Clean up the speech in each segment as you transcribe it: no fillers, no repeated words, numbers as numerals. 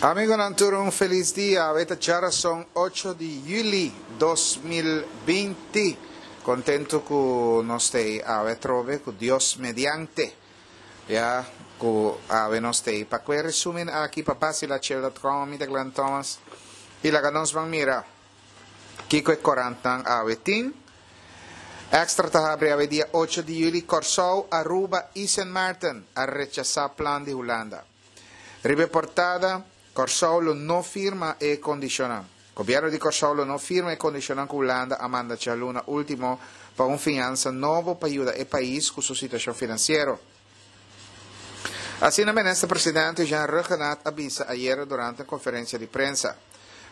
Amigonan tur un feliz dia. Awe ta djarason ocho di juli 2020. Contento cu nos ta ey awe atrobe cu Dios mediante. Ya cu awe nos ta ey pa cu e resumen aki pa basilachel.com. Mi ta Glenn Thomas y laga nos ban mira Kiko e korantnan awe tin? Extra ta habri awe dia ocho di juli Kòrsou, Aruba i Sint Maarten a rechasá plan di Hulanda. Riba e portada, Kòrsou lo no firma e kondishonnan. Gobièrnu di Kòrsou lo no firma e kondishonnan ku Hulanda a manda djaluna último pa un fiansa nobo pa yuda e pais ku su situashon finansiero. Asina Minister Presidente Jean Rhuggenaath a bisa ayera durante un conferencia di prensa.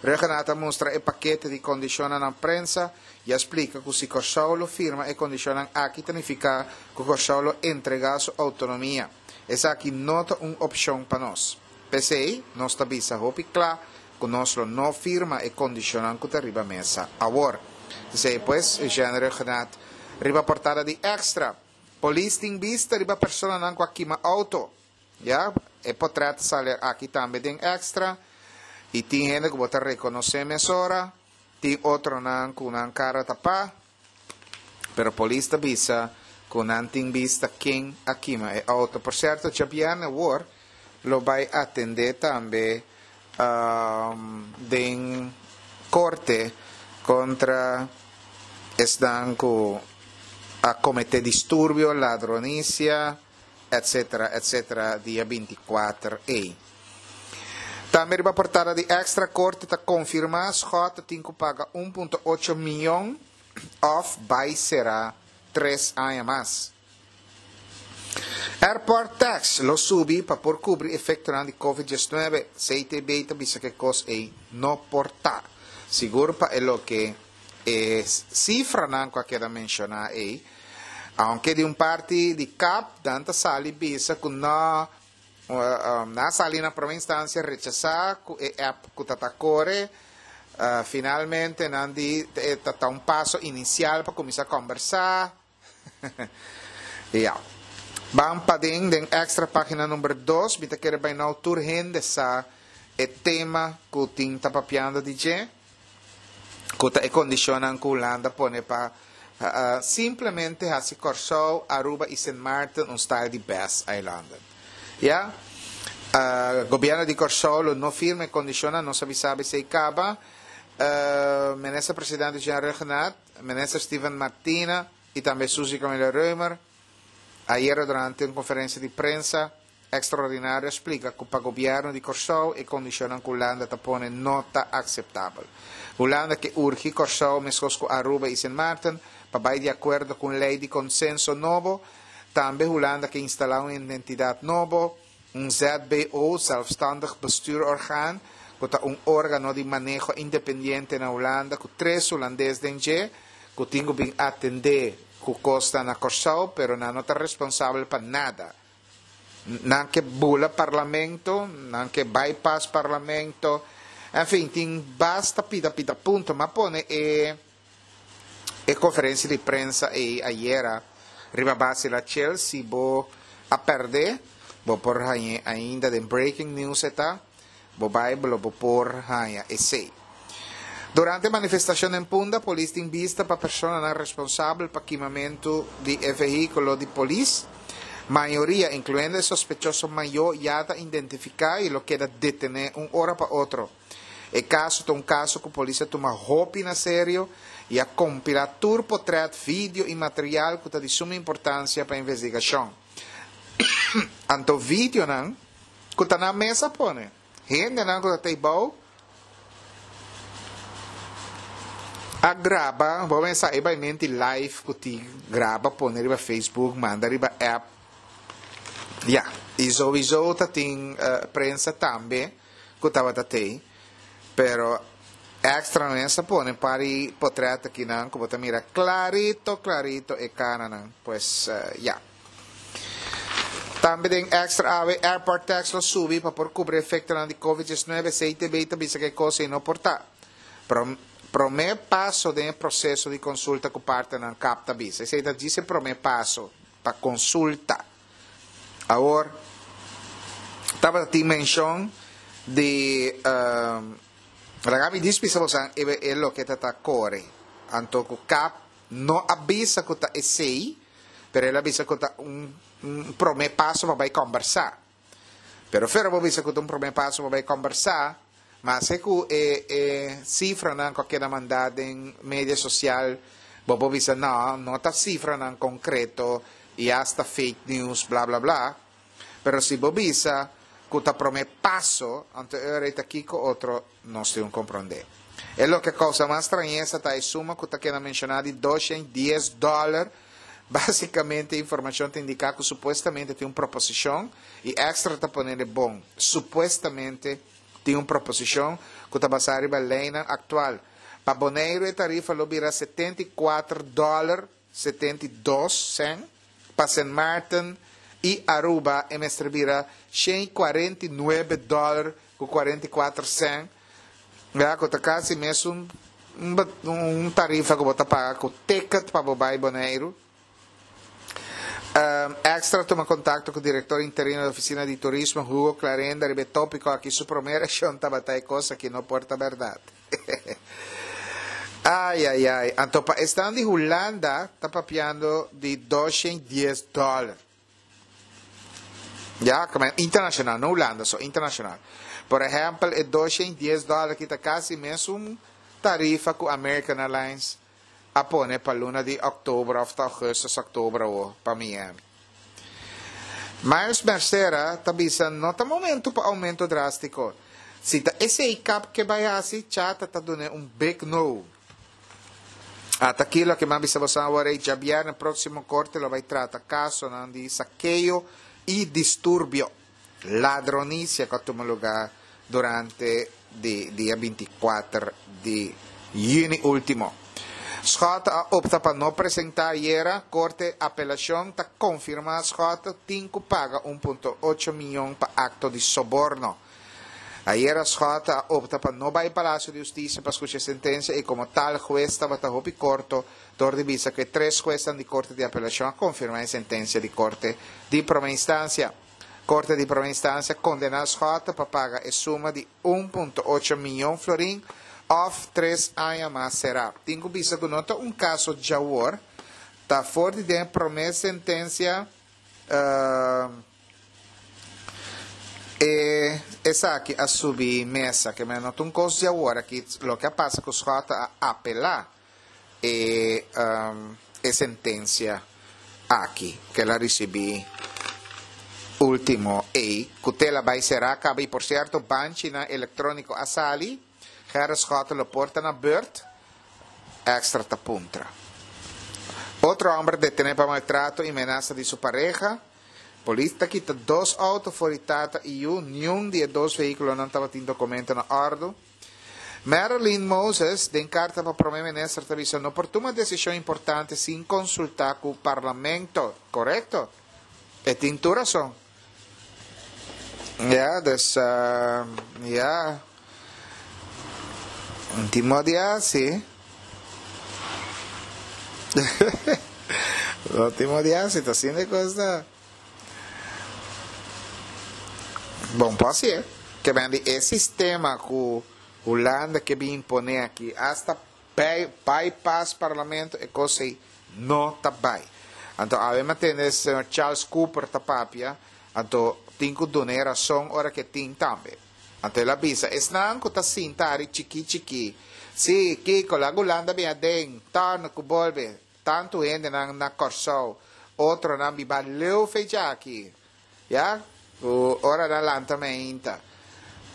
Rhuggenaath a mustra e pakete di condicionnan na prensa y a splica cu si Corsou lo firma e condicionnan aki ta nifica cu Corsou lo entrega su autonomia. Esaki no ta un opcion pa nos. P'esey nos ta bisa hopi cla cu nos lo no firma e condicionnan cu ta riba mesa awor. Esey pues Jean Rhuggenaath riba portada di Extra. Polis tin bista riba personanan ku a kima outo. Ya, e potret ta sali aki tambe den Extra. I tin hende ku bo ta rekonosé mesora, tin otronan ku nan kara tapá. Pero polis ta bisa ku nan tin bista ken a kima e outo. Por sierto, djabièrnè awor lo bai atendé tambe den korte kontra esnan ku a kometé disturbio, ladronisia, etsetera, etsetera dia binti kuater ei. Tambe riba portada di Extra, korte ta konfirmá Schotte tin ku paga un punto ocho mion òf bai será tres aña mas. Airport tax lo subi pa por kubri efektonan di Covid diesnuebe, CTB ta bisa ku e kos ei no por ta. Sigur pa e loke e sifranan ku a keda menshoná ei, aunke di un parti di kap nan ta sali bisa ku no, nan a sali na prome instansia rechasá ku e app ku ta ta kore, finalmente nan di e ta ta un paso inisial pa kuminsá kòmbersá. Ya. Ban paden den Extra pagina number dos. Mi ta kere bai nou tur hende sa e tema ku tin ta papiando di dje, ku ta e kondishonnan ku Hulanda pone pa simplemente hasi Kòrsou, Aruba i Sint Maarten un style di best eilanden. Ya. Gobièrnu di Kòrsou lo no firma e kondishonnan, nos a bisa esei kaba. Minister Presidente Jean Rhuggenaath. Minister Steven Martina y tambe Suzy Camelia Römer ayera durante un conferencia di prensa extraordinario a splica cu pa gobierno di Corsou e condicionnan cu Hulanda ta pone no ta aceptabel. Hulanda ke urgi Corsou mescos cu Aruba y Sint Maarten pa bay di acuerdo cu un ley di consenso nobo. Tambe Hulanda ke instala un identidad nobo. Un ZBO, Zelfstandig Bestuurorgaan, ku ta un órgano di maneho independiente na Hulanda ku tres hulandes den dje, ku tin ku bin atendé ku kosnan na Kòrsou, pero nan no ta responsabel pa nada. Nan ke bula parlamento, nan ke bypass parlamento, enfin tin basta pida pida punto. M'a pone e. E conferencia di prensa ey ayera riba base la Chel si bo a perde bo por hañ'e ainda den breaking news e ta bo bay lo bo por haña esey. Durante manifestacion den Punda polis tin bista pa personanan responsabel pa kimamento di e vehiculo di polis. Mayoria incluyendo e sospechoso mayo ya ta identifica y lo keda detene un ora pa otro. E kaso ta un kaso ku polis a tuma hopi na serio i a kompilá tur potrèt, video i material ku ta di suma importansia pa investigashon. Anto videonan ku ta nan mes a pone. Hendenan ku ta tei bou a graba, bo mester sa e bai menti live ku tin graba pone riba Facebook, manda riba app. Ya, i souiso ta tin prensa tambe. ku tabata tei, pero extra mes a pone par di potret akinan ku bo ta mira klarito klarito e karanan, pues ya. Tambe den extra awe airport tax lo subi pa por kubri efektonan di covid diesnuebe, CTB ta bisa ku e kos ei no por ta. Prome paso den e proseso di konsulta ku partnernan kap ta bisa. Esei ta djis e prome paso pa konsulta. Awor, tabata tin menshon Di laga mi dis bisa bosan e e loke ta ta kore. Anto ku kap no a bisa ku ta esei, pero el a bisa ku ta un un promé paso pa bai kòmbersá. Pero fera bo bisa ku ta un promé paso pa bai kòmbersá, maske ku e e sifranan ku a keda mandá den media sosial, bo por bisa no, no ta sifranan konkreto i asta fake news bla bla bla. Pero si bo bisa ku ta promé paso, anto e ora ei ta kiko otro nos tin un komprondé. E loke a kousa mas strañesa ta e suma ku ta keda menshoná di 210 dòler. Básikamente e informashon ta indiká ku supuestamente tin un proposishon, i Extra ta ponele bon, supuestamente tin un proposishon ku ta basá riba leinan aktual. Pa Boneiru e tarifa lo bira 74 dòler 72 sèn, pa Sint Maarten i Aruba e mester bira 149 dòler ku 44 sèn, ya ku ta kasi mesun un tarifa ku bo ta paga ku ticket pa bo bai Boneiru. Extra tuma kontakto ku direktor interino di Ofisina di Turismo, Hugo Clarenda, riba e tópiko aki. Su promé reakshon tabata e kos aki no por ta bèrdat. Ai ai ai, anto pa esnan di Hulanda ta papiando di 210 dòler. Ya, como internacional, no Hulanda so, internacional. Por ehempel, e 210 dòler aki ta kasi mesun tarifa ku American Airlines a pone pa luna di òktober òf ta ògùstus, òktober awo pa Miami. Miles Mercera ta bisa no ta momento pa aumento drástiko. Si ta esei kap ke bai hasi, Chata ta dun'é un big no. Ata aki loke mi a bisa boso awor ei, djabièrnè próksimo korte lo bai trata kasonan di sakeo i disturbio, ladronisia ku a tuma lugá durante di dia 24 di yüni último. Schotte a opta pa no presentá ayera, Korte Apelashon ta konfirmá Schotte tin ku paga 1.8 mion pa akto di soborno. Ayera Schotte a opta pa no bai Palacio di Hustisia pa skucha e sentensia i komo tal hues tabata hopi korto dor di bisa ku e tres huesnan di Korte di Apelashon a konfirmá e sentensia di Korte di Promé Instansia. Korte di Promé Instansia kondená Schotte pa paga e suma di 1.8 mion florin òf tres aña mas será. Tin ku bisa ku no ta un kaso djawor, ta for di den e promé sentensia e esaki a subi mesa. Ke men no ta un kos djawor aki. Loke a pasa ku Schotte a apelá e e sentencia aki cu el a ricibi ultimo ey cu te la bay cera caba y por cierto banchinan electronico a sali Gerrit Schotten lo por ta na beurt extra ta puntra. Otro homber detene pa maltrato y menasa di su pareha Polis ta kita dos auto for di tata y yu niun di e dos vehiculonan tabatin documento na ordo. Marilyn Moses den karta pa Prome Minister ta bisa no por tuma desishon importante sin konsultá ku Parlamento. Korekto. E tin tur rason. Ya, dus ya. Un tin modo di hasi. No tin modo di hasi, ta asina e kos ta. Bon por hasié. Ke men di e sistema ku Hulanda ke bin imponé aki, asta bypass parlamento, e kos ei no ta bai. Anto awe mi a tende señor Charles Cooper ta papia, anto tin ku duna e rason ora ke tin tambe. Anto el a bisa, esnan ku ta sinta ari chikí chikí, sí, kiko, laga Hulanda bin aden, tòrnu ku bolbe, Tantu hendenan na Kòrsou, otronan biba leu fecha aki, ya, ku ora nan lanta meinta.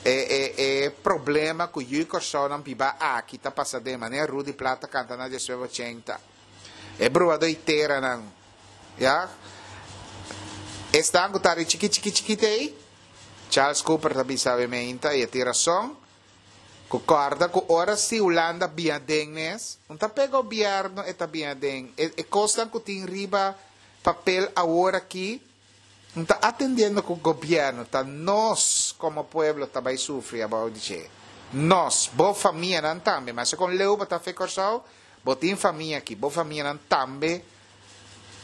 E e e problema ku yu Kòrsounan biba aki ta pasa den, manera Rudy Plat ta kanta na diesnuebe ochenta. E bruadó i teranan, ya. Esnan ku ta ari chiki chiki chikit ei, Charles Cooper ta bisa awe meinta i e tin rason, Ku kòrda ku ora si Hulanda bin aden mes, un ta p'e gobièrnu e ta bin aden. E e kosnan ku tin riba papel awor aki, un ta atendiendo ku gobièrnu, ta nos komo pueblo ta bai sufri abou di dje. Nos, bo famianan tambe, maske kon leu bo ta fe Kòrsou, bo tin famia aki, bo famianan tambe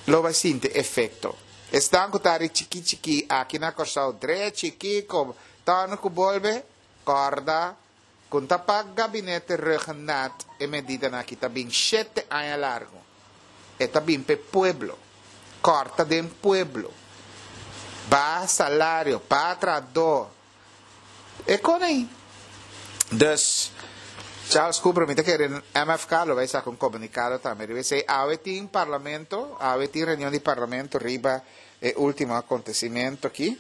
lo bai sinti efekto. Esnan ku ta ari chikí chikí aki na Kòrsou, drechi, kiko, tòrnu ku bolbe. Kòrda ku ta pa Gabinete Rhuggenaath e medidanan aki ta bin shete aña largu. E ta bin p'e pueblo. Kòrta den pueblo. Baha salario, baha trahadó. E kon ei. Dus, Charles Cooper, mi ta kere MFK lo bai saka un komunikado tambe riba esei. Awe tin parlamento, awe tin reunion di parlamento riba e ultimo akontesimentu aki.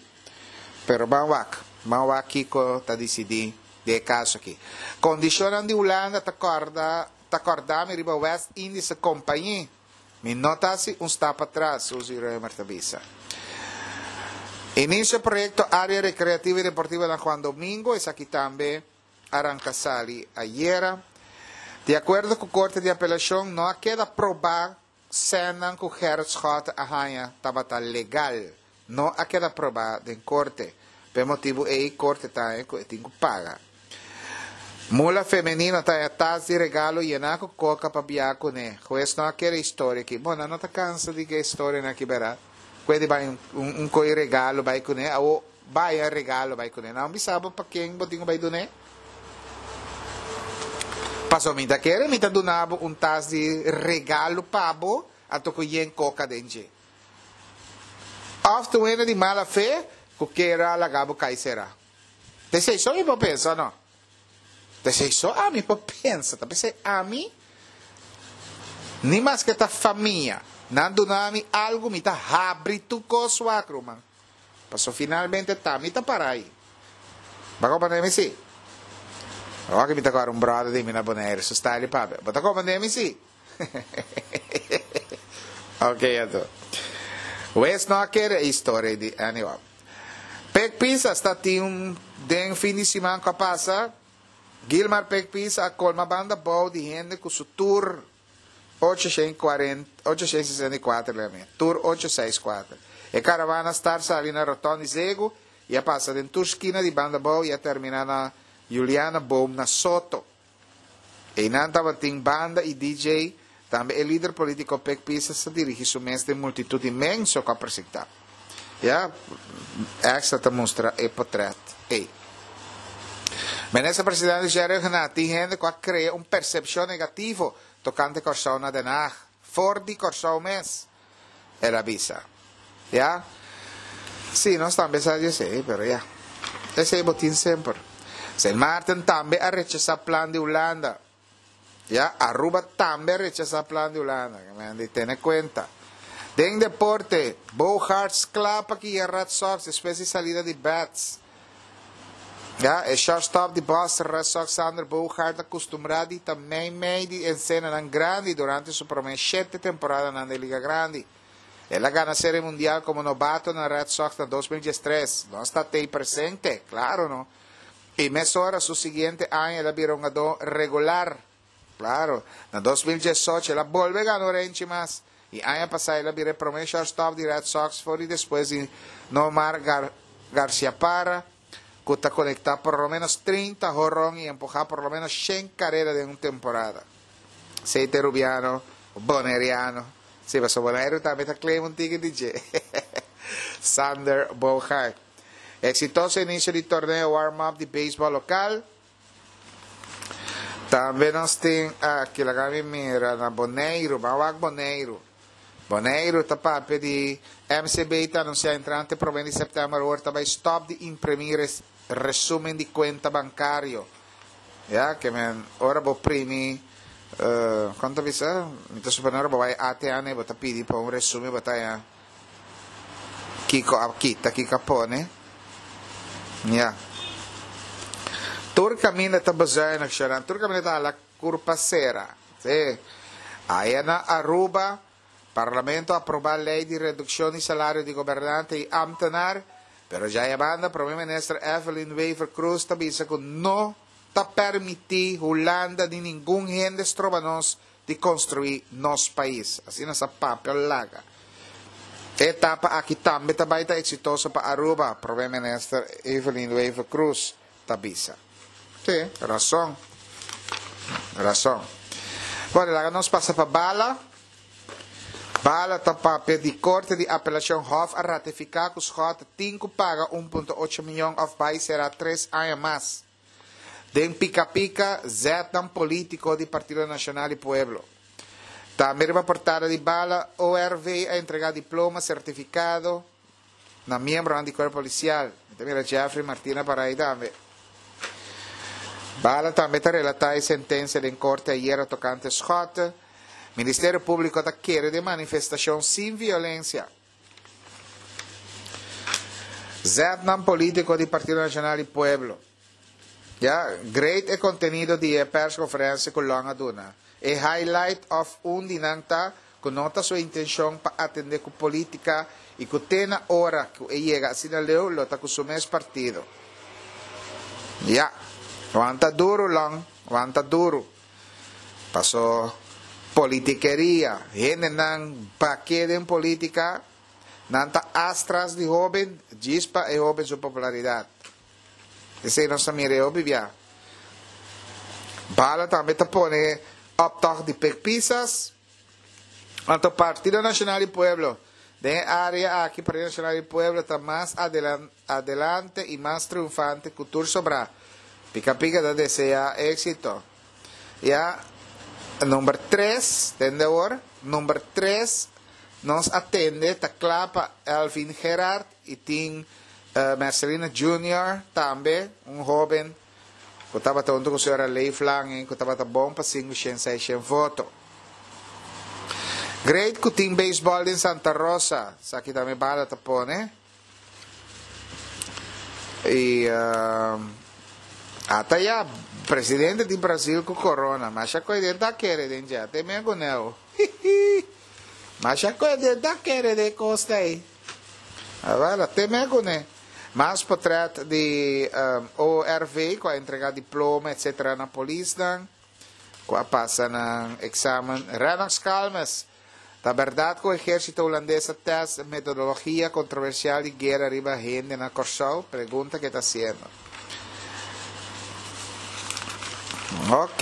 Pero ban wak, ban wak kiko ta disidí den e kaso aki. Kondishonnan di Hulanda ta kòrda ta kòrda mi riba West Indische Compagnie. Mi no ta hasi un stap atras, Suzy Römer ta bisa. Inisio proyekto Área Rekreativo i Deportivo na Juan Domingo, esaki tambe a ranka sali ayera. Di akuerdo ku Korte di Apelashon no a keda probá Sènnan ku Gerrit Schotte a haña tabata legal, no a keda probá den korte. P'e motibu ei korte ta haña ku e tin ku paga. Mula femenino ta haña tas di regalo yená ku koka pa biaha kuné. Hues no a kere historia aki. Bo, nan no ta kansa di ke historianan aki bèrdat? Ku e di bai un ko'i regalo bai kuné, awo Bai a regalo bai kuné. Nan bisa bo pa ken bo tin ku bai dun'é? Pasobra mi ta kere mi ta duna bo un tas di regalo pa bo, anto ku yen koka den dje. Òf ta un hende di mala fe ku kier a laga bo kai será. Ta esei so mi por pensa, no? Ta esei so ami por pensa. Ta p'esei ami, ni maske ta famia, nan duna mi algu, mi ta habri tur kos wak, ruman. Paso finalmente ta mi ta para ahi. Bo a comprende mi si? Awor mi ta kore un brother di mi na Bonaire, su style di papia. Bo ta comprende mi si? Ok anto. Wes no a kere e historia di anyway. Pek Pisa sta tin un den fin di siman ku a pasa. Gilmar Pek Pisa a kolma banda bou di hende ku su tur 864 leme, tur 864. E karavana start sali na Roton di Zegu i a pasa den tur skina di Banda Bou i a terminá na Juliana Boom na Soto. Einan tabatin banda i DJ, tambe e lider polítiko Pek Pisas a dirigí su mes den multitut inmenso ku a presentá. Ya, Extra ta mustra e potret ei. Minister Presidente Jerry Rhuggenaath, Tin hende ku a krea un persepshon negativo tokante Kòrsou na Den Haag, for di Kòrsou mes, el a bisa. Ya. Sí, nos tambe sa di esei, pero ya. Esei bo tin semper. Sint Maarten tambe a rechasá plan di Hulanda. Ya, Aruba tambe a rechasá plan di Hulanda. Men di tene kuenta. Den deporte, Bogaerts kla pa guia Red Sox despues di salida di Betts. Ya, e shortstop di Boston Red Sox Xander Bogaerts a kustumbrá di ta mei mei di ensenanan grandi durante su promé shete temporadanan den Liga Grandi. El a gana Serie Mundial komo nobato na Red Sox na 2013. Nos ta tei presente, klaro no. I mesora su siguiente aña el a bira hungadó regular. Claro, na 2018 el a bolbe gana un renchi mas. I aña pasá el a bira e promé shortstop di Red Sox for di despues di Nomar Gar Garciaparra, ku ta konektá por lo ménos 30 horon i empuhá por lo ménos shen karera den un temporada. Esei ta e rubiano boneriano. Sí, pasobra Boneiru tambe ta claim un tiki di dje. Sander Bogaert. Exitoso inicio di torneo warm-up di beisbol local. Tambe nos tin aki, laga mi mira, na Boneiru, ban wak Boneiru. Boneiru ta papia di MCB ta anuncia entrante prome di september awor ta bay stop di imprimi res, resumen di cuenta bancario. Ya, ke men, ora bo primi, uh, kon ta bisa? Mi ta supone ora bo bay ATM bo ta pidi pa un resumen bo ta haña Kiko a kita, kiko a pone. Ya. Tur kaminda ta bezuinig, Sharon. Tur kaminda ta hala kurpa sera. Sí. Aya na Aruba, Parlamento a aproba ley di reduccion di salario di gobernante y ambtenaar, pero djaya banda Prome Minister Evelyn Wever-Croes ta bisa cu no ta permiti Hulanda ni ningun hende stroba nos di construi nos pais. Asina sa papia laga. E etapa aki tambe ta bay ta exitoso pa Aruba, Prome Minister Evelyn Wever-Croes ta bisa. Si, rason. Rason. Bueno, laga nos pasa pa bala. Bala ta papia di Corte di Apelacion Hof a ratifica cu Schotte tin cu paga 1.8 miyon of bay sera tres aña mas. Den Pika Pika, zetnan politico di Partido Nacional y Pueblo. Tambe riba portada di Bala, ORV a entrega diploma, certificado na miembronan di Cuerpo Policial. Mi ta mira Jeffrey Martina para ahí tambe. Bala tambe ta relata e sentencia den corte ayera tocante Schotte. Ministerio Publico ta kere den manifestacion sin violencia. Zetnan politico di Partido Nacional y Pueblo. Ya, great e contenido di e persconferencia cu Long a duna. E highlight of un di nan ta cu no ta su intencion pa atende cu politica y cu te na ora cu e yega asina leu lo ta cu su mes partido. Ya, wanta duro Long, wanta duro. Paso politikeria, hendenan bake den politica, nan ta as tras di hoben djis pa e hoben su popularidad. Esei nos ta mira e hopi bia. Bala tambe ta pone optocht di Pek Pisas. Anto Partido Nacional di Pueblo, den e area aki Partido Nacional di Pueblo ta mas adelante y mas triunfante cu tur sobrá. Pika Pika ta desea exito. Ya, number tres, tende awor, number tres nos a tende ta cla pa Elvin Gerard y tin Mercelina Junior tambe, un hoben cu tabata hunto cu señora Leif Lange cu tabata bon pa sinku shen seis shen voto. Great cu tin baseball den Santa Rosa, esaki tambe bala ta pone. Y ata ya, presidente di Brasil cu corona, masha cu e den ta kere den dje, te me guneo. Masha cu e den ta kere den cos ei. Awel, te me kuné. Mas potret di ORV ku a entrega diploma etcetera na polisnan ku a pasa nan eksamen. Rennox Calmes, Ta bèrdat ku ehérsito hulandes a tèst metodologia kontroversial di guera riba hende na Kòrsou? Pregunta ke ta hasiendo. Ok.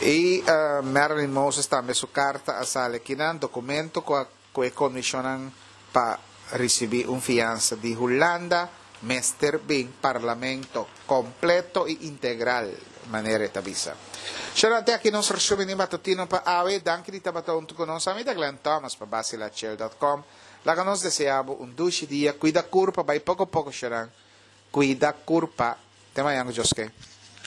I Marilyn Moses tambe su karta a sali akinan, dokumento ku a Ku e kondishonnan pa risibí un fiansa di Hulanda mester bin Parlamento kompleto i integral, manera e ta bisa. Shornan te aki nos resumen di matutino pa awe. Danki di tabata huntu ku nos. Ami ta Glenn Thomas pa Basilachel dot com. Laga nos desea bo un dushi dia. Kuida kurpa, bai poko poko shornan. Kuida kurpa. Te mañan ku Dios ke.